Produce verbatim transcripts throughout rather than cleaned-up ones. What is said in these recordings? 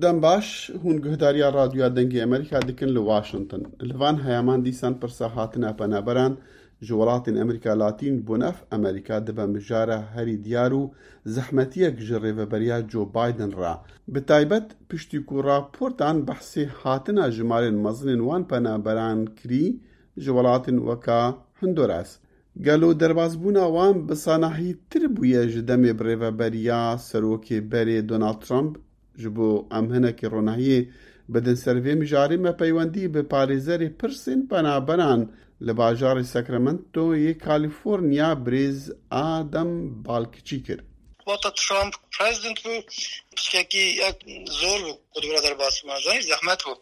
Dem baş, hûn guhdariya Radyoya Dengê Amerîka dikin li Washington. Li van heyaman dîsan pirsa hatina penaberan ji welatên Amerîka Latîn bo nav Amerîka dibe mijara herî diyar û zehmetiyek ji rêveberiya Joe Biden re. Bi taybet piştî ku raportan behsê hatina jimarên mezin ên wan penaberan kirî ji welatên weka Honduras. Gelo derbasbûna wan bi sanahîtir bûye ji demê bi rêveberiya serokê berê Donald Trump? Ji bo em hinekî ronahiyê bidin ser vê mijarê, me peywendî bi parêzerê pirsên penaberan li bajarê Sacramento yê California, birêz Adam Balkiçî kir. Wata Trump prezident bû, piçkekî yek zor bû ku dûra derbas bû, zanî zehmet bû.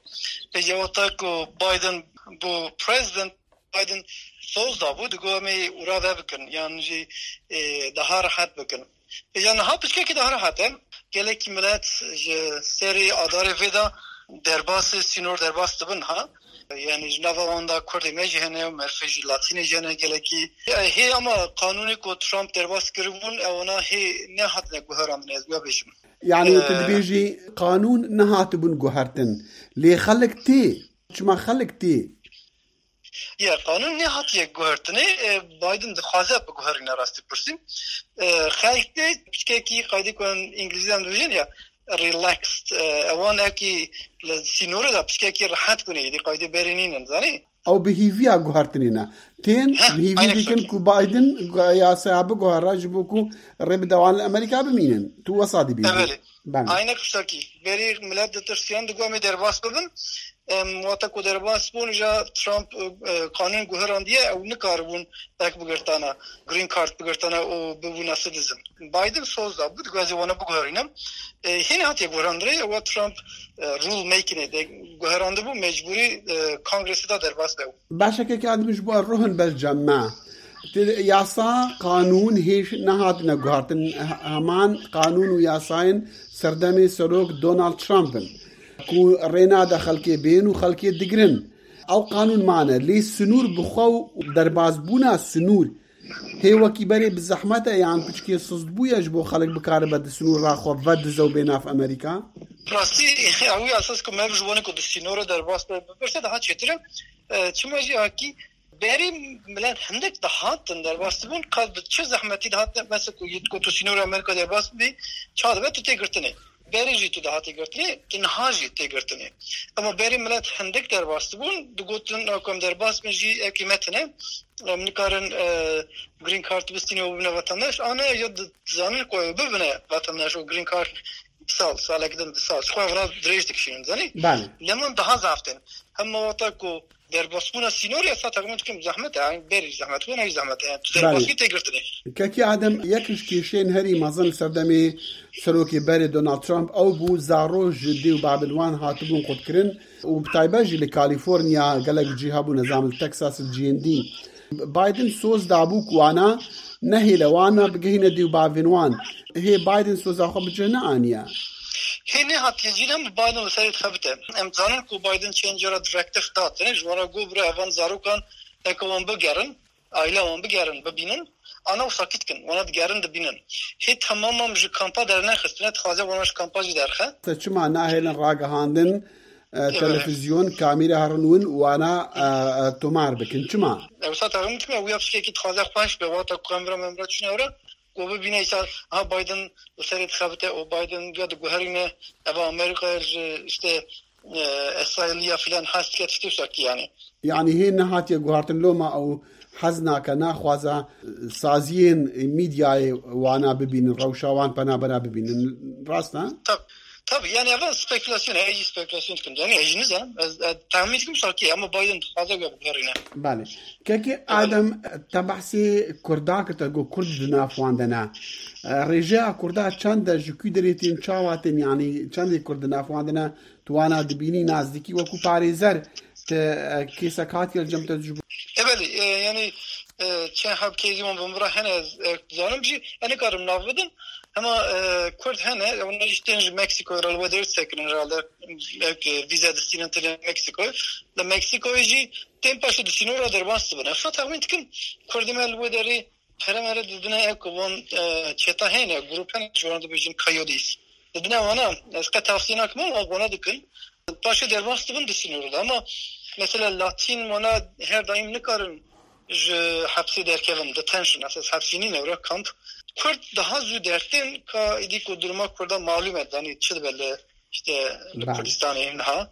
Pêca wata ku Biden bû prezident, Biden soz dabû, digot em ê ûra vebikin, yan jî, e, daha rehet bikin. Pêca niha piçkekî daha rehet e. Gelekî milet ji serê adarê vê de derbasê sînor derbas dibin ha. Yani ji nava wan de Kurdê me jî hene û merfê jî Latînê jî hene gelekî. E, hê ama qanûnê ku Trump derbas kiribûn, ewana hê nehatine guherandin, ez wiya bêjim. Yani tu Ee, dibêjî qanûn nehatibûn guhertin. Lê xelk tê. Çima xelk tê? Ya, qanûn nehatiye guhertinê, e, Biden dixwaze biguherîne rastî pirsî. E, xelk tê, piçkekî qaydê ku em îngilîzî em dibêjin ya, relaxed. E, ewan ekî li sînorê de piçkekî rehet bûne, êdî qaydê berê nînin, zanî? Ew bi hîviya guhertinê ne. Tên Heh, bi hîvî aynen dikin şekil. Ku Biden gu-, yasaya biguhere ji bo ku rê bide wan li Amerîka bimînin. Tu wesa dibînî. Belê. Belê. Aynek tiştekî. Berî millet ditirsiyan, digot em ê derbas bibin. Em, wata ku derbas bûn, ja Trump, e, qanûn guherandiye, ew nikaribûn ek bigirtana, green card bigirtana û bibûna citizen. Biden soz da, digot ez ê wana biguherînim. E, hîn hatiye guherandinê, ewa Trump, e, rule making de guherandibû, mecbûrî, e, kongresê de derbas be. Baş e, kekê Adim, ji bo ruhin ber cem me. Ti yasa, qanûn hêj nehatine guhartin. He-, heman qanûn û yasayên serdemê serok Donald Trump in. Ku rê nade xelkê bên û xelkê digirin. Ew qanûn mane. Lê sinûr bi xwe û derbasbûna sinûr hê wekî berê bi zehmet e yan piçkê sizdbûye ji bo xelk bikaribe di sinûra xwe vedize û bê nav Amerîka? Rastî, ew yasas ku me ji wanê ku di sînora derbas be, bipirse daha çêtir e. E, çima jî hakî berî milet hindek dihatin derbas dibûn, qet bi çi zehmetî dihatin, mesela ku yê ku tu sînora Amerîka derbas bibî, ça dibe tu tê girtinê. Berê jî tu dihatî girtinê, tu niha jî tê girtinê. Ema berê milet hindek derbas dibûn, digotin, "Ew ku em derbas bin jî ew kîmet hene, em nikarin, e, green card bistînin û bibine vatandaş." Ane ya di-, dizanin ku ew bibine vatandaş û green card sal, salek din, du sal. Ji xwe vira dirêj dikişînin, zanî? Belê. Lê min daha zaf tên. Hema wata ku derbasbûna sînorê, ez texmîn dikim zehmet e, yani berî zehmet bû, neyî zehmet e. Yani tu Belê. Derbasî tê girtinê. Kekî Adem, yek ji kêşeyên herî mezin li serdemê serokê berê Donald Trump ew bû, zaro ji dê û bavên wan hatibûn qutkirin û bi taybet jî li California gelek cî hebû, nizam li Texas, li cihên dî. Biden soz dabû ku wana nehêle wana bigihîne dê û bavên wan. Hê Biden soza xwe bi cih neaniye. Hê nehatiye cî, ne bi Biden li serê dixebite. Em dizanin ku Biden çend cara direktif da, tenê ji wan re got, bira evan zarokan eke wan bigerin, aîla wan bigerin, bibînin, ana wisa kî dikin, wana digerin dibînin. Hê temamam ji kampa dernexistine, dixwaze wana ji kampa jî derxe. Te çima nahêlin ragihandin, e, Evet. Televizyon, kamîra herin win, wana, e, e, tomar bikin. Çima? Ew sa terim dikime, wiya pişkekî dixwaze xweş be, wata ku em vira memra çûne wira, ku bibîne îsa, ha Biden li serê dixebite û Biden ya diguherîne, eva Amerîkaya ji, işte, e, Îsraîliya filan hez dike tiştê wisa kî yani. Yani hê nehatiye guhartin loma ew hez nake, naxwaze, e, saziyên mîdyayê wana bibînin, rewşa wan penabera bibînin. Rast e? Tab-, tabii, yani ev spekulasyon, ez jî spekulasyon dikim. Yani ez jî nizanim. Ez, ez tahmin dikim şakî, ama Biden dixwaze wê biguherîne. Belê. Kekê Adem, te behsê Kurda kir, te got Kurd di nav wan de ne. E, rêjeya Kurda çend e, ji ku derê tên, çawa tên, yani çendê Kurd di nav wan de ne? Tu wana dibînî nazdîkî wekû parêzer, te, e, kêsek hatiye li cem te ji bo? E, belê, e, yani, e, çend heb kêzî wan bi min re hene, ez, e, dizanim jî, ez nikarim nav bidim. Hema, e, Kurd hene, wana jî tên ji Meksikoyê re li wê derê disekinin herhalde. E, vîze distînin têne Meksikoyê. Li Meksikoyê jî tên paşê di sînora derbas dibin. Ez texmîn dikim, Kurdê me li wê derê pere mere didine, ew ku van, e, çeta hene, grup hene, ji wan dibêjin Coyotes. Dibine wana ez qet tavsiye nakim, ama wana dikin. Paşê derbas dibin di sînorê de. Ama mesela Latîn wana her daîm nikarin ji hepsê derkevin, detention, esas hepsî nîne, were kamp. Kurd daha zû dertên ka êdî ku duruma Kurda malûm e, danî çi dibe li, işte, li Kurdistanê niha.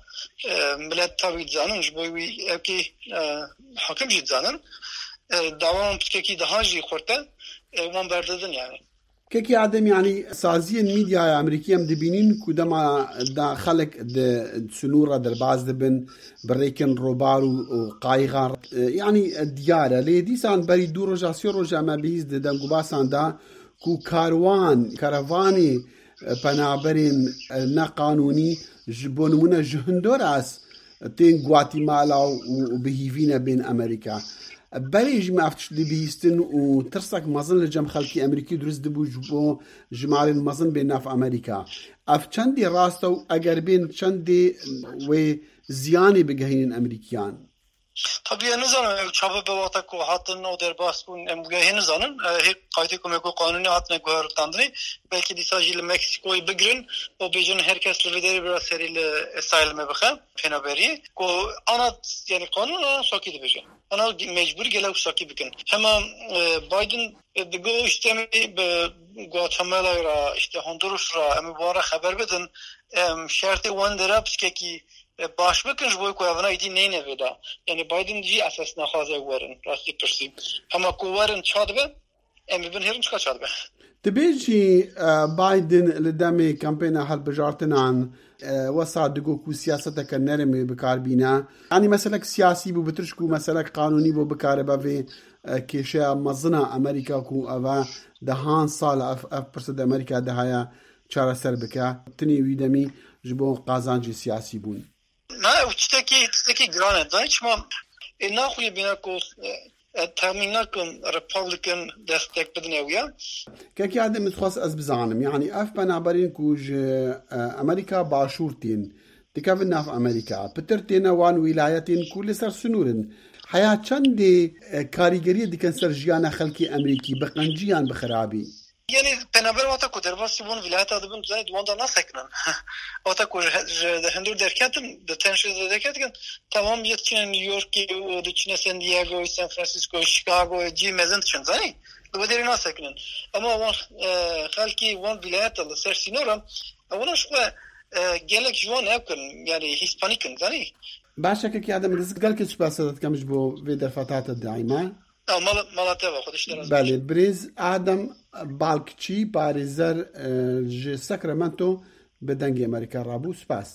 E, millet tabii dizanin, ji bo wî evkî, e, hakim jî dizanin. E, dawa wan piçkekî daha jî xurt e, e, wan berdidin yani. Kekî Adem, yanî saziyên mîdyaya Amerîkî em dibînin ku dema da xelk di sinûra derbas dibin, bi rêkin robar û, û qayixan, e, yanî, e, diyar e. Lê dîsan berî du roja, sê roja me bihîst di dengûbasan da ku karwan, karavanê, e, penaberên, e, neqanûnî ji bo nimûne ji Honduras tên Guatemala û, û bi hîvî ne bên Amerîka. Berê jî me ev tişt dibihîstin û tirsek mezin li cem xelkê Amerîkî dirust dibû ji bo jimarên mezin bên nav Amerîka. Ev çendê rast e û eger bên çendê wê ziyanê bigehînin Amerîkiyan? Tabii, ez nizanim ew çawa be, wexta ku hatin û derbas bûn, em wê hê nizanin. E, hê qaydê ku me ku qanûnî hatine guhertandinê, belkî dîsa jî li Meksîkoyê bigirin û bêjin her kes li vê derê bira serî li asylumê bixe, penaberiyê. Ku ana, yani qanûn ana sakî dibêje. Ana mecbûr gele wisa kî bikin. Hema, e, Biden, e, digo işte em ê bi Guatemala re, işte Honduras re, em ê wan re xeber bidin. Em, şertê wan dera piçkekî, e, baş bikin ji bo ku evina êdî neyne vê de. Yani Biden jî esas naxwaze werin, rastî pirsî. Hema ku werin ça dibe, em ê bin hêrin çika ça dibe. Dibêjî, e, Biden li demê kampêna hilbijartinan, e, wesa digo ku siyaseteke nerm ê bi kar bîne. Yanî meselek siyasî bû, bi tirş ku meselek qanûnî bû, bikare be vê, e, kêşeya mezina Amerîka ku eve dehan sal ev, ev pirse di Amerîka de heye çareser bike. Tinê wî demî ji bo qazancê siyasî bûn. Na, ew tiştekî, tiştekî giran e. Zanî çima? Ê naxuye bîne ku, e, e, temîn nakin Republican destek bidin ew ya. Kekî Adem, min dixwest ez bizanim, yanî ev penaberên ku ji, e, Amerîka Başûr tên, dikevin nav Amerîka, pitir têne wan wîlayetên ku li ser sinûr in. Heya çendê, e, karîgeriyê dikin ser jiyana xelkê Amerîkî, bi qencî yan bi xirabî? Yani penaber wata ku derbasî wan vilayeta dibin, zanî di wan de nasekinin. Wata ku ji, ji, di hundir derketin, di tenşê de derketin, temam yê diçine New Yorkê û diçine San Diego, San Francisco, Chicago, cî mezin diçin, zanî? Li wê derê nasekinin. Ama wan, e, xelkê wan vilayeta li ser sînoran, ewana ji xwe, e, gelek ji wan ew kin, yani Hispanik in, zanî? Baş e, kekî Adem, ez gelkî spas dikim ji bo vê derfeta te daîma. Ew mala, mala te ve, Xwedê ji te razî. Belê, birêz Adem Balkçî, parêzer, e, ji Sacramento bi Dengê Amerîka rabû. Spas.